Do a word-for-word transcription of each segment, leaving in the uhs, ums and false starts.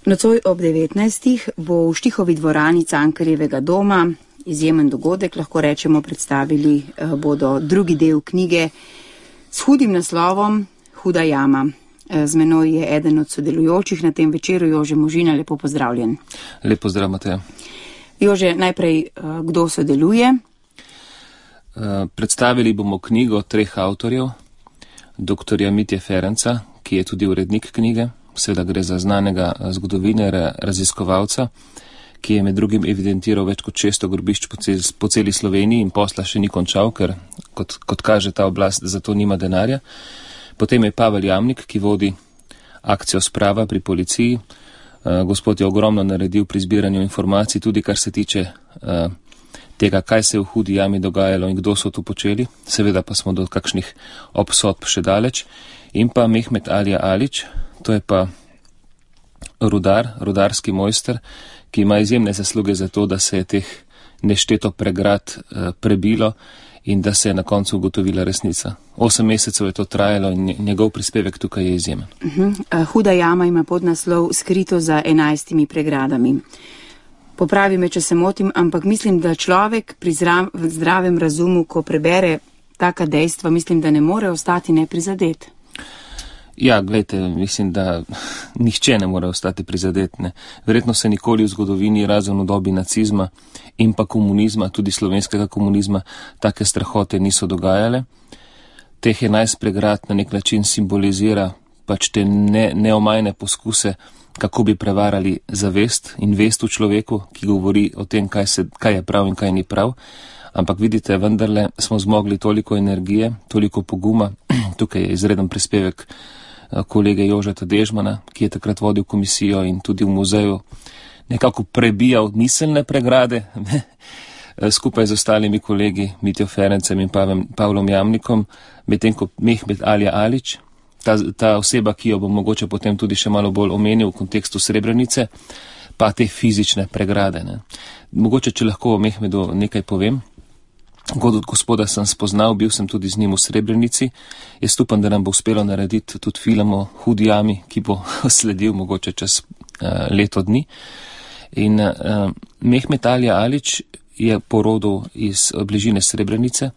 Nocoj ob devetnajstih bo v Štihovi dvorani Cankarjevega doma izjemen dogodek, lahko rečemo, predstavili bodo drugi del knjige s hudim naslovom Huda jama. Z menoj je eden od sodelujočih na tem večeru, Jože Možina, lepo pozdravljen. Lep pozdrav, Mateja. Jože, najprej, kdo sodeluje? Predstavili bomo knjigo treh avtorjev, doktorja Mitje Ferenca, ki je tudi urednik knjige, seveda gre za znanega zgodovinarja, raziskovalca, ki je med drugim evidentiral več kot šeststo grobišč po, cel, po celi Sloveniji in posla še ni končal, ker kot, kot kaže ta oblast, za to nima denarja. Potem je Pavel Jamnik, ki vodi akcijo Sprava pri policiji. Uh, gospod je ogromno naredil pri zbiranju informacij, tudi kar se tiče uh, tega, kaj se je v Hudi jami dogajalo in kdo so to počeli. Seveda pa smo do kakšnih obsodb še daleč. In pa Mehmet Alija Alić, to je pa rudar, rudarski mojster, ki ima izjemne zasluge za to, da se je teh nešteto pregrad uh, prebilo in da se je na koncu ugotovila resnica. Osem mesecev je to trajalo in njegov prispevek tukaj je izjemen. Uh-huh. Huda jama ima podnaslov Skrito za enajstimi pregradami. Popravi me, če se motim, ampak mislim, da človek pri zra- zdravem razumu, ko prebere taka dejstva, mislim, da ne more ostati neprizadet. Ja, gledajte, mislim, da nihče ne more ostati prizadet. Ne. Verjetno se nikoli v zgodovini, razen v dobi nacizma in pa komunizma, tudi slovenskega komunizma, take strahote niso dogajale. Teh enajst pregrad na nek način simbolizira pač te ne, neomajne poskuse, kako bi prevarali zavest in vest v človeku, ki govori o tem, kaj, se, kaj je prav in kaj ni prav. Ampak vidite, vendarle smo zmogli toliko energije, toliko poguma. Tukaj je izreden prispevek kolege Jožeta Dežmana, ki je takrat vodil komisijo in tudi v muzeju nekako prebijal miselne pregrade, skupaj z ostalimi kolegi Mitjo Ferencem in Pavem, Pavlom Jamnikom, medtem ko Mehmet Alija Alić, ta, ta oseba, ki jo bom mogoče potem tudi še malo bolj omenil v kontekstu Srebrenice, pa te fizične pregrade. Ne. Mogoče, če lahko o Mehmedu nekaj povem. God od gospoda sem spoznal, bil sem tudi z njim v Srebrenici. Jaz upam, da nam bo uspelo narediti tudi film o Hudi jami, ki bo sledil mogoče čez uh, leto dni. In uh, Mehmet Alija Alić je porodil iz bližine Srebrenice.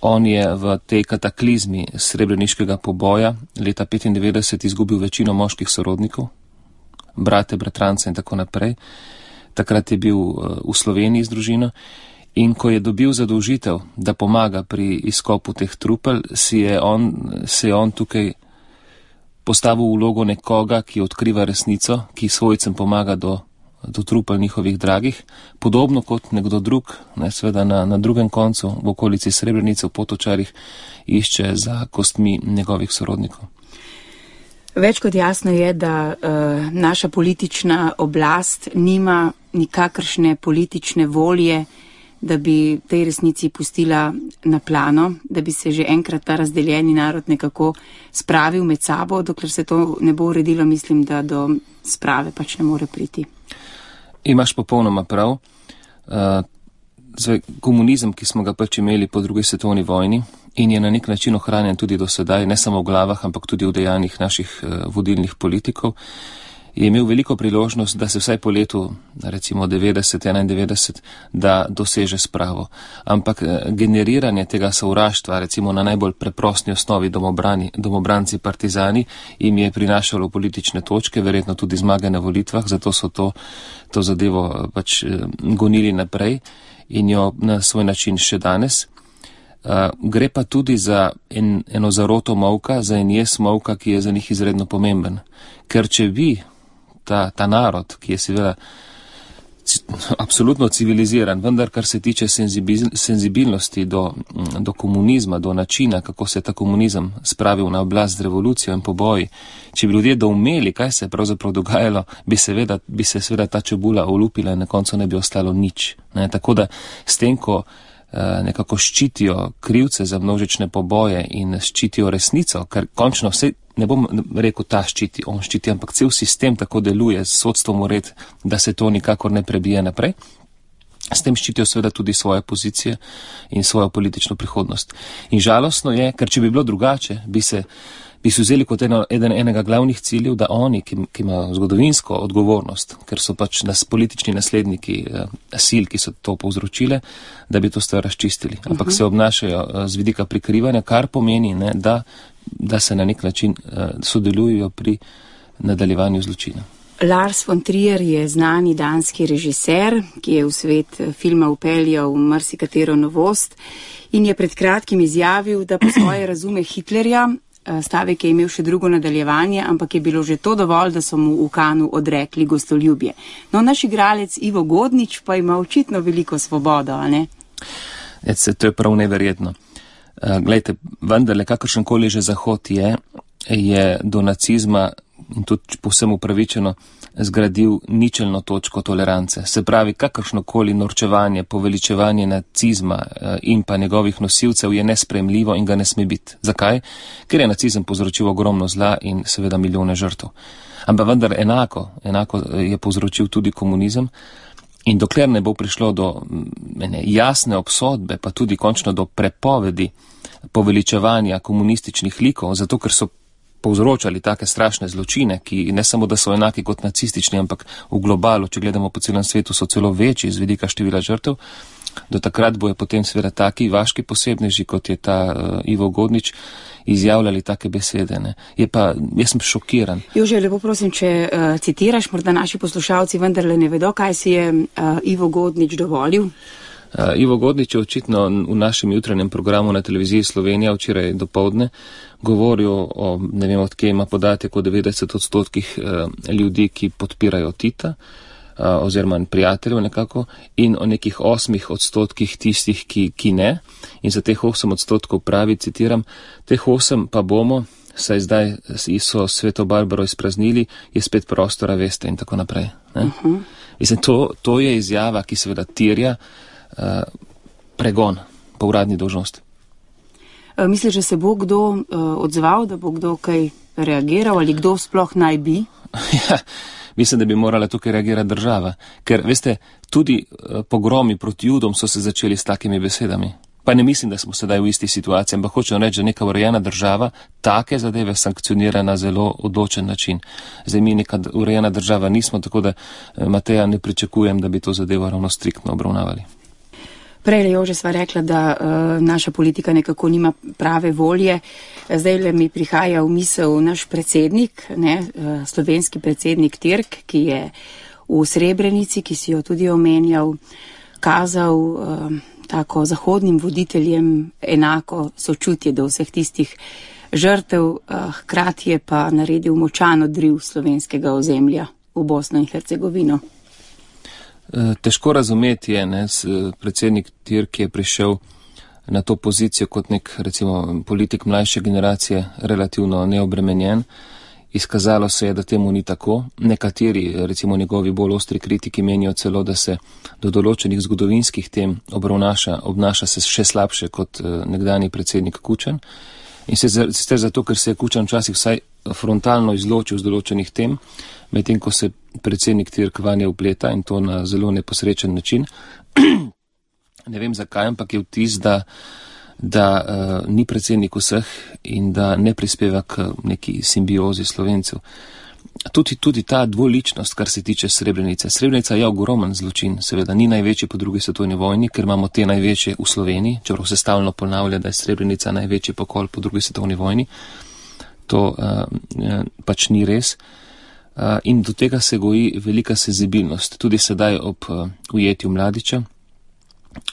On je v tej kataklizmi srebreniškega poboja leta petindevetdeset izgubil večino moških sorodnikov, brate, bratrance in tako naprej. Takrat je bil uh, v Sloveniji z družino. In ko je dobil zadolžitev, da pomaga pri izkopu teh trupel, si je on, se je on tukaj postavil v vlogo nekoga, ki odkriva resnico, ki svojcem pomaga do, do trupel njihovih dragih, podobno kot nekdo drug, ne, seveda na, na drugem koncu, v okolici Srebrenice, v Potočarih, išče za kostmi njegovih sorodnikov. Več kot jasno je, da uh, naša politična oblast nima nikakršne politične volje, da bi tej resnici pustila na plano, da bi se že enkrat ta razdeljeni narod nekako spravil med sabo, dokler se to ne bo uredilo, mislim, da do sprave pač ne more priti. Imaš popolnoma prav. Uh, zdaj, komunizem, ki smo ga pač imeli po drugi svetovni vojni in je na nek način ohranjen tudi do sedaj, ne samo v glavah, ampak tudi v dejanjih naših uh, vodilnih politikov, je imel veliko priložnost, da se vsaj po letu, recimo devetdeset, enaindevetdeset, da doseže spravo. Ampak generiranje tega sovraštva, recimo na najbolj preprosti osnovi domobrani, domobranci partizani, jim je prinašalo politične točke, verjetno tudi zmage na volitvah, zato so to, to zadevo pač gonili naprej in jo na svoj način še danes. Uh, gre pa tudi za en, eno zaroto molka, za en jes molka, ki je za njih izredno pomemben. Ker če vi, ta, ta narod, ki je seveda c, absolutno civiliziran, vendar kar se tiče senzibil, senzibilnosti do, do komunizma, do načina, kako se je ta komunizem spravil na oblast z revolucijo in poboji, če bi ljudje doumeli, kaj se je pravzaprav dogajalo, bi, seveda, bi se seveda ta čebula olupila in na koncu ne bi ostalo nič. Ne? Tako da s tem, ko nekako ščitijo krivce za množične poboje in ščitijo resnico, ker končno vse, ne bom rekel ta ščiti, on ščiti, ampak cel sistem tako deluje, s sodstvom ured, da se to nikakor ne prebije naprej. S tem ščitijo seveda tudi svoje pozicije in svojo politično prihodnost. In žalostno je, ker če bi bilo drugače, bi se bi si vzeli kot eno, eden, enega glavnih ciljev, da oni, ki, ki imajo zgodovinsko odgovornost, ker so pač nas politični nasledniki eh, sil, ki so to povzročile, da bi to stvar razčistili. Ampak uh-huh. se obnašajo eh, z vidika prikrivanja, kar pomeni, ne, da, da se na nek način eh, sodelujo pri nadaljevanju zločina. Lars von Trier je znani danski režiser, ki je v svet filma upeljal marsikatero novost in je pred kratkim izjavil, da po svoje razume Hitlerja. Stavek je imel še drugo nadaljevanje, ampak je bilo že to dovolj, da so mu v Kanu odrekli gostoljubje. No, naš igralec Ivo Godnič pa ima očitno veliko svobodo, a ne? Ece, to je prav neverjetno. Uh, glejte, vendarle, kakršenkoli že Zahod je, je do nacizma in tudi povsem upravičeno zgradil ničelno točko tolerance. Se pravi, kakršnokoli norčevanje, poveličevanje nacizma in pa njegovih nosilcev je nesprejemljivo in ga ne sme biti. Zakaj? Ker je nacizem povzročil ogromno zla in seveda milijone žrtev. Ampak vendar enako, enako je povzročil tudi komunizem in dokler ne bo prišlo do ene jasne obsodbe, pa tudi končno do prepovedi poveličevanja komunističnih likov, zato ker so povzročali take strašne zločine, ki ne samo, da so enaki kot nacistični, ampak v globalu, če gledamo po celem svetu, so celo večji z vidika števila žrtev. Do takrat bojo potem seveda taki vaški posebneži, kot je ta uh, Ivo Godnič, izjavljali take besede. Ne. Je pa, jaz sem šokiran. Jože, lepo prosim, če uh, citiraš, morda naši poslušalci vendarle ne vedo, kaj si je uh, Ivo Godnič dovolil. Uh, Ivo Godnič je očitno v našem jutranjem programu na televiziji Slovenija včeraj dopoldne govoril o, ne vem, odkje ima podatek o devetdeset odstotkih uh, ljudi, ki podpirajo Tita, uh, oziroma prijateljev nekako, in o nekih osmih odstotkih tistih, ki, ki ne. In za teh osem odstotkov pravi, citiram, teh osem pa bomo, saj zdaj so Sveto Barbaro izpraznili, je spet prostora, veste, in tako naprej. Ne? Uh-huh. Mislim, to, to je izjava, ki seveda tirja Uh, pregon po uradni dolžnosti. Uh, misliš, da se bo kdo uh, odzval, da bo kdo kaj reagiral ali kdo sploh naj bi? Ja, mislim, da bi morala tukaj reagirati država, ker, veste, tudi uh, pogromi proti Judom so se začeli s takimi besedami. Pa ne mislim, da smo sedaj v isti situaciji, ampak hočem reči, da neka urejena država take zadeve sankcionira na zelo odločen način. Zdaj mi neka urejena država nismo, tako da Mateja ne pričakujem, da bi to zadevo ravno striktno obravnavali. Prej, Jože, sva rekla, da uh, naša politika nekako nima prave volje. Zdaj le mi prihaja v misel naš predsednik, ne, uh, slovenski predsednik Tirk, ki je v Srebrenici, ki si jo tudi omenjal, kazal uh, tako zahodnim voditeljem enako sočutje do vseh tistih žrtev, uh, hkrati je pa naredil močan odriv slovenskega ozemlja v Bosno in Hercegovino. Težko razumeti je, ne, predsednik Tirk je prišel na to pozicijo kot nek, recimo, politik mlajše generacije, relativno neobremenjen. Izkazalo se je, da temu ni tako. Nekateri, recimo njegovi bolj ostri kritiki, menijo celo, da se do določenih zgodovinskih tem obravnaša, obnaša se še slabše kot nekdani predsednik Kučan. In sicer zato, ker se je Kučan včasih vsaj frontalno izločil z določenih tem, medtem ko se predsednik Tirk vanje vpleta in to na zelo neposrečen način. Ne vem zakaj, ampak je vtis, da, da uh, ni predsednik vseh in da ne prispeva k neki simbiozi Slovencev. Tudi, tudi ta dvoličnost, kar se tiče Srebrenice. Srebrenica je ogromen zločin, seveda ni največji po drugi svetovni vojni, ker imamo te največje v Sloveniji, čeprav se stalno ponavlja, da je Srebrenica največji pokol po drugi svetovni vojni. To uh, pač ni res. Uh, in do tega se goji velika senzibilnost. Tudi sedaj ob uh, ujetju Mladića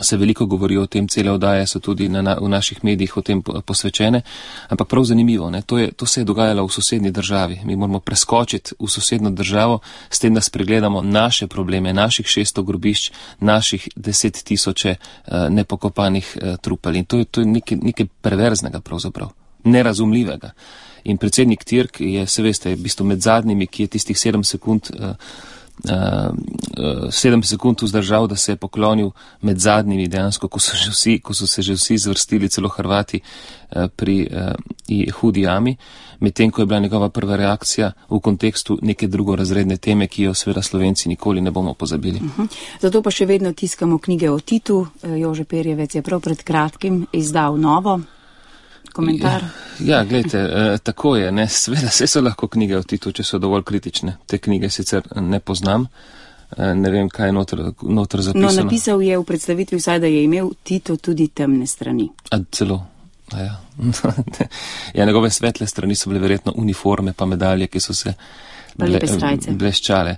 se veliko govori o tem, cele oddaje so tudi na, na, v naših medijih o tem posvečene, ampak prav zanimivo, ne, to, je, to se je dogajalo v sosednji državi. Mi moramo preskočiti v sosednjo državo, s tem, da spregledamo naše probleme, naših šeststo grobišč, naših deset tisoče uh, nepokopanih uh, trupel. In to je, to je nekaj, nekaj perverznega pravzaprav, nerazumljivega. In predsednik Tirk je, se veste, v bistvu med zadnjimi, ki je tistih sedem sekund, uh, uh, sedem sekund vzdržal, da se je poklonil med zadnjimi dejansko, ko so, že vsi, ko so se že vsi zvrstili, celo Hrvati, uh, pri uh, hudi jami, medtem ko je bila njegova prva reakcija v kontekstu neke drugorazredne teme, ki jo seveda Slovenci nikoli ne bomo pozabili. Uh-huh. Zato pa še vedno tiskamo knjige o Titu. Jože Perjevec je prav pred kratkim izdal novo. komentar. Ja, gledajte, eh, tako je, ne, seveda, vse so lahko knjige o Titu, če so dovolj kritične. Te knjige sicer ne poznam, eh, ne vem, kaj je noter, noter zapisano. No, napisal je v predstavitvi vsaj, da je imel Tito tudi temne strani. A celo, a ja. Ja, njegove svetle strani so bile verjetno uniforme pa medalje, ki so se ble, bleščale.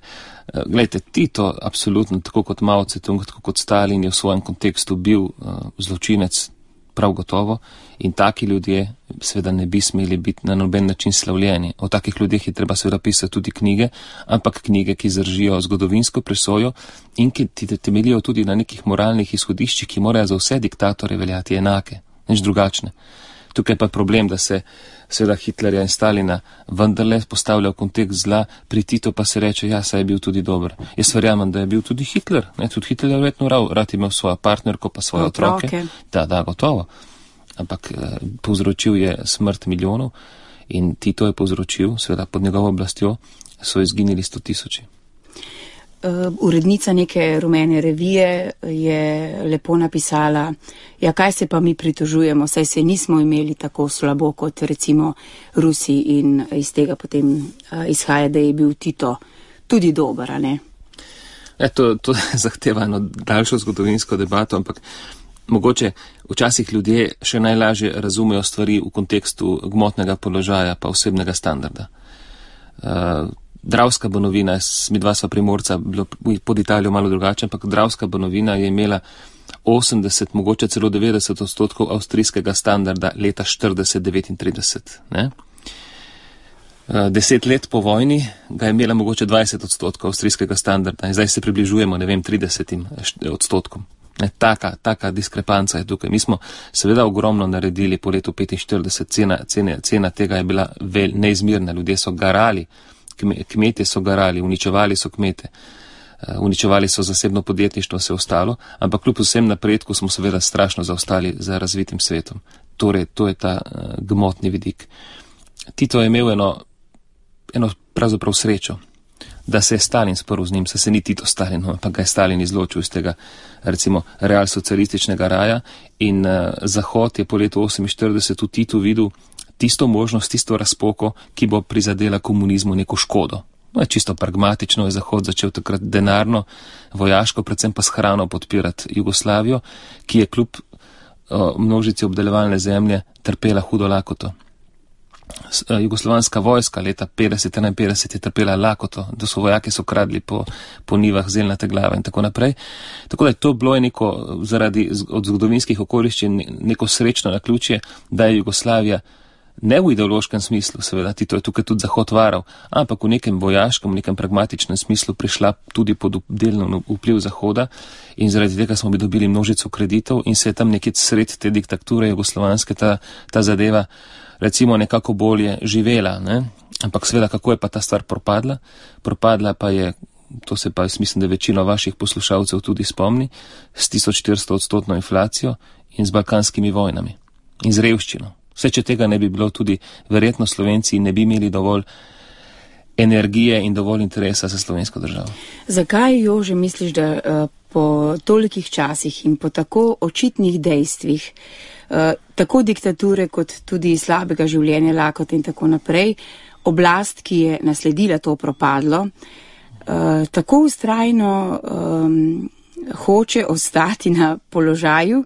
Glejte, Tito, absolutno, tako kot Mao Tse-tung, tako kot Stalin, je v svojem kontekstu bil uh, zločinec, prav gotovo, in taki ljudje seveda ne bi smeli biti na noben način slavljeni. O takih ljudeh je treba seveda pisati tudi knjige, ampak knjige, ki zdržijo zgodovinsko presojo in ki temeljijo tudi na nekih moralnih izhodiščih, ki morajo za vse diktatore veljati enake, nič drugačne. Tukaj pa je problem, da se seveda Hitlerja in Stalina vendarle postavlja v kontekst zla, pri Titu pa se reče, ja, saj je bil tudi dober. Jaz verjamem, da je bil tudi Hitler, ne, tudi Hitler je verjetno rad, rad imel svojo partnerko pa svoje otroke. otroke. Da, da, gotovo. Ampak eh, povzročil je smrt milijonov in Tito je povzročil, seveda pod njegovo oblastjo, so izginili sto tisoči. Uh, urednica neke rumene revije je lepo napisala, ja, kaj se pa mi pritožujemo, saj se nismo imeli tako slabo kot recimo Rusi in iz tega potem uh, izhaja, da je bil Tito tudi dober, a ne? E, to, to zahteva eno daljšo zgodovinsko debato, ampak mogoče včasih ljudje še najlažje razumejo stvari v kontekstu gmotnega položaja pa osebnega standarda. Uh, Dravska Banovina, mi dva sva Primorca, bilo pod Italijo malo drugače, ampak Dravska Banovina je imela osemdeset, mogoče celo devetdeset odstotkov avstrijskega standarda leta štirideset devetintrideset. Ne? Deset let po vojni ga je imela mogoče dvajset odstotkov avstrijskega standarda in zdaj se približujemo, ne vem, tridesetim odstotkom. Ne, taka, taka diskrepanca je tukaj. Mi smo seveda ogromno naredili po letu petinštirideset, cena, cena, cena tega je bila vel, neizmirna, ljudje so garali, kmetje so garali, uničevali so kmete, uničevali so zasebno podjetništvo, vse ostalo, ampak kljub vsem napredku smo seveda strašno zaostali za razvitim svetom. Torej, to je ta uh, gmotni vidik. Tito je imel eno, eno pravzaprav srečo, da se je Stalin sprl z njim, se se ni Tito Stalin, ampak ga je Stalin izločil iz tega, recimo, realsocialističnega raja in uh, Zahod je po letu oseminštirideset v Titu videl tisto možnost, tisto razpoko, ki bo prizadela komunizmu neko škodo. No, je čisto pragmatično, je Zahod začel takrat denarno, vojaško, predvsem pa s hrano podpirati Jugoslavijo, ki je kljub o, množici obdelovalne zemlje trpela hudo lakoto. Jugoslovanska vojska leta petdeset enainpetdeset je trpela lakoto, da so vojaki so kradli po, po nivah zelnate glave in tako naprej. Tako da je to bilo neko, zaradi od zgodovinskih okoliščin, neko srečno naključje, da je Jugoslavija ne v ideološkem smislu, seveda, Tito je tukaj tudi Zahod varal, ampak v nekem vojaškem, v nekem pragmatičnem smislu prišla tudi pod delno vpliv Zahoda in zaradi tega smo bi dobili množico kreditov in se je tam nekje sred te diktature jugoslovanske ta, ta zadeva recimo nekako bolje živela, ne? Ampak seveda, kako je pa ta stvar propadla? Propadla pa je, to se pa mislim, da večino vaših poslušalcev tudi spomni, s tisoč štiristo odstotno inflacijo in z balkanskimi vojnami in z revščino. Vse, če tega ne bi bilo, tudi verjetno Slovenci ne bi imeli dovolj energije in dovolj interesa za slovensko državo. Zakaj, Jože, misliš, da uh, po tolikih časih in po tako očitnih dejstvih, uh, tako diktature kot tudi slabega življenja, lakote in tako naprej, oblast, ki je nasledila to propadlo, uh, tako ustrajno um, hoče ostati na položaju,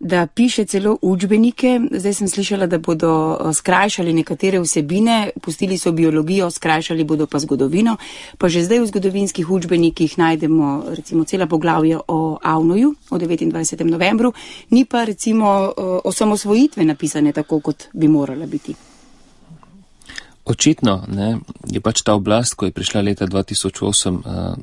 da piše celo učbenike, zdaj sem slišala, da bodo skrajšali nekatere vsebine, pustili so biologijo, skrajšali bodo pa zgodovino, pa že zdaj v zgodovinskih učbenikih najdemo recimo cela poglavja o Avnoju, o devetindvajsetem novembru, ni pa recimo o samosvojitve napisane tako, kot bi morala biti. Očitno, ne, je pač ta oblast, ko je prišla leta dva tisoč osem uh,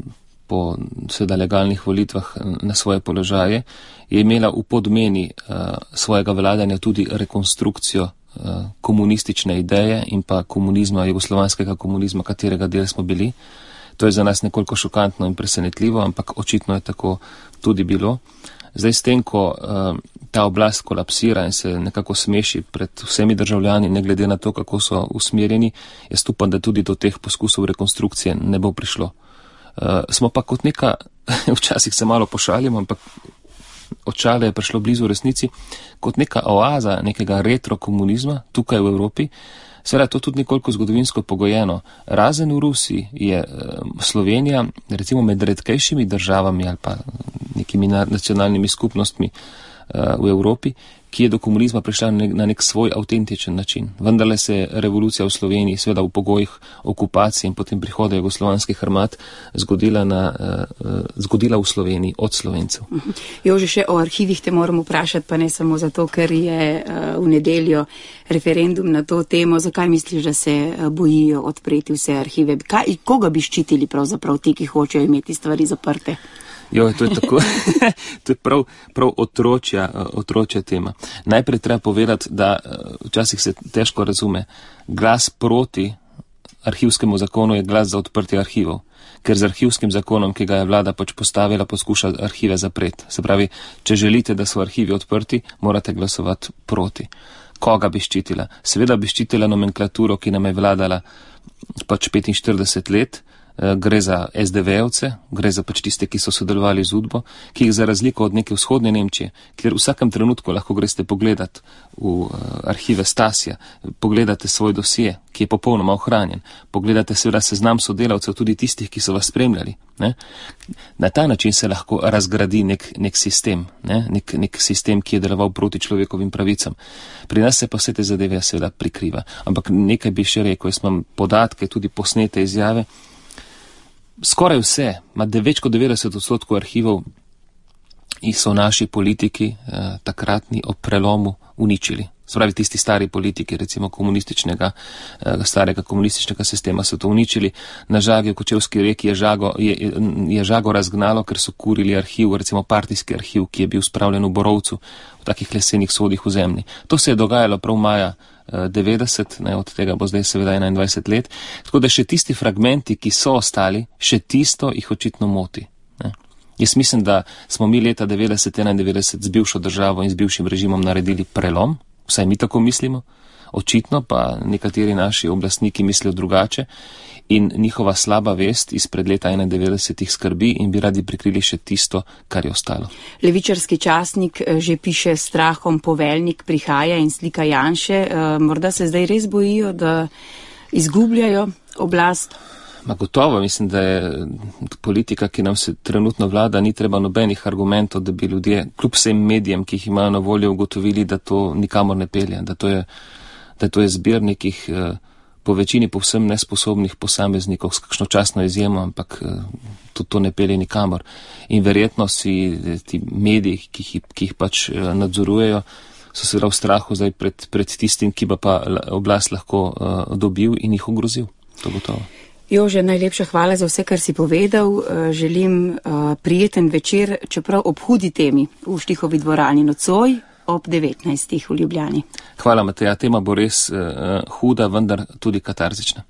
po seveda legalnih volitvah na svoje položaje, je imela v podmeni uh, svojega vladanja tudi rekonstrukcijo uh, komunistične ideje in pa komunizma, jugoslovanskega komunizma, katerega del smo bili. To je za nas nekoliko šokantno in presenetljivo, ampak očitno je tako tudi bilo. Zdaj s tem, ko uh, ta oblast kolapsira in se nekako smeši pred vsemi državljani, ne glede na to, kako so usmerjeni, jaz upam, da tudi do teh poskusov rekonstrukcije ne bo prišlo. Uh, smo pa kot neka, včasih se malo pošalimo, ampak očala je prišlo blizu resnici, kot neka oaza nekega retrokomunizma tukaj v Evropi. Seveda je to tudi nekoliko zgodovinsko pogojeno. Razen v Rusiji je Slovenija, recimo med redkejšimi državami ali pa nekimi nacionalnimi skupnostmi v Evropi, ki je do komunizma prišla na nek, na nek svoj avtentičen način. Vendarle se je revolucija v Sloveniji, seveda v pogojih okupacije in potem prihoda jugoslovanskih armad, zgodila, na, uh, zgodila v Sloveniji od Slovencev. Jože, še o arhivih te moram vprašati, pa ne samo zato, ker je uh, v nedeljo referendum na to temo. Zakaj misliš, da se uh, bojijo odpreti vse arhive? Kaj, koga bi ščitili pravzaprav ti, ki hočejo imeti stvari zaprte? Jo, to je tako, to je prav, prav otročja, otročja tema. Najprej treba povedati, da včasih se težko razume. Glas proti arhivskemu zakonu je glas za odprtje arhivov, ker z arhivskim zakonom, ki ga je vlada pač postavila, poskuša arhive zapreti. Se pravi, če želite, da so arhivi odprti, morate glasovati proti. Koga bi ščitila? Seveda bi ščitila nomenklaturo, ki nam je vladala pač petinštirideset let. Gre za es de ve-ovce, gre za pač tiste, ki so sodelovali z Udbo, ki jih za razliko od neke vzhodne Nemčije, kjer v vsakem trenutku lahko greste pogledat v arhive Stasija, pogledate svoj dosje, ki je popolnoma ohranjen, pogledate seveda seznam sodelavcev, tudi tistih, ki so vas spremljali. Ne? Na ta način se lahko razgradi nek, nek sistem, ne? Nek, nek sistem, ki je deloval proti človekovim pravicam. Pri nas se pa vse te zadeve seveda prikriva. Ampak nekaj bi še rekel, jaz imam podatke, tudi posnete izjave. Skoraj vse, ima več kot devetdeset odstotkov arhivov in so naši politiki eh, takratni ob prelomu uničili. Spravi tisti stari politiki, recimo komunističnega, eh, starega komunističnega sistema so to uničili. Na Žagi v Kočevski reki je Žago, je, je Žago razgnalo, ker so kurili arhiv, recimo partijski arhiv, ki je bil spravljen v Borovcu, v takih lesenih sodih v zemlji. To se je dogajalo prav maja devetdeset, ne, od tega bo zdaj seveda enaindvajset let, tako da še tisti fragmenti, ki so ostali, še tisto jih očitno moti. Ne. Jaz mislim, da smo mi leta devetdeset enaindevetdeset z bivšo državo in z bivšim režimom naredili prelom, vsaj mi tako mislimo, očitno pa nekateri naši oblastniki mislijo drugače in njihova slaba vest izpred leta enaindevetdeset jih skrbi in bi radi prikrili še tisto, kar je ostalo. Levičarski časnik že piše s strahom poveljnik prihaja in slika Janše. Morda se zdaj res bojijo, da izgubljajo oblast? Ma gotovo, mislim, da je politika, ki nam se trenutno vlada, ni treba nobenih argumentov, da bi ljudje, kljub vsem medijem, ki jih imajo na voljo, ugotovili, da to nikamor ne pelje, da to je, da to je zbir nekih eh, po večini povsem nesposobnih posameznikov s kakšno častno izjemo, ampak eh, to, to ne pelje nikamor. In verjetno si ti mediji, ki jih, ki jih pač eh, nadzorujejo, so seveda v strahu zdaj pred, pred tistim, ki ba pa oblast lahko eh, dobil in jih ogrozil. To gotovo. Jože, najlepša hvala za vse, kar si povedal. Želim uh, prijeten večer, čeprav ob hudi temi v Štihovi dvorani nocoj ob devetnajstih v Ljubljani. Hvala, Mateja. Tema bo res uh, huda, vendar tudi katarzična.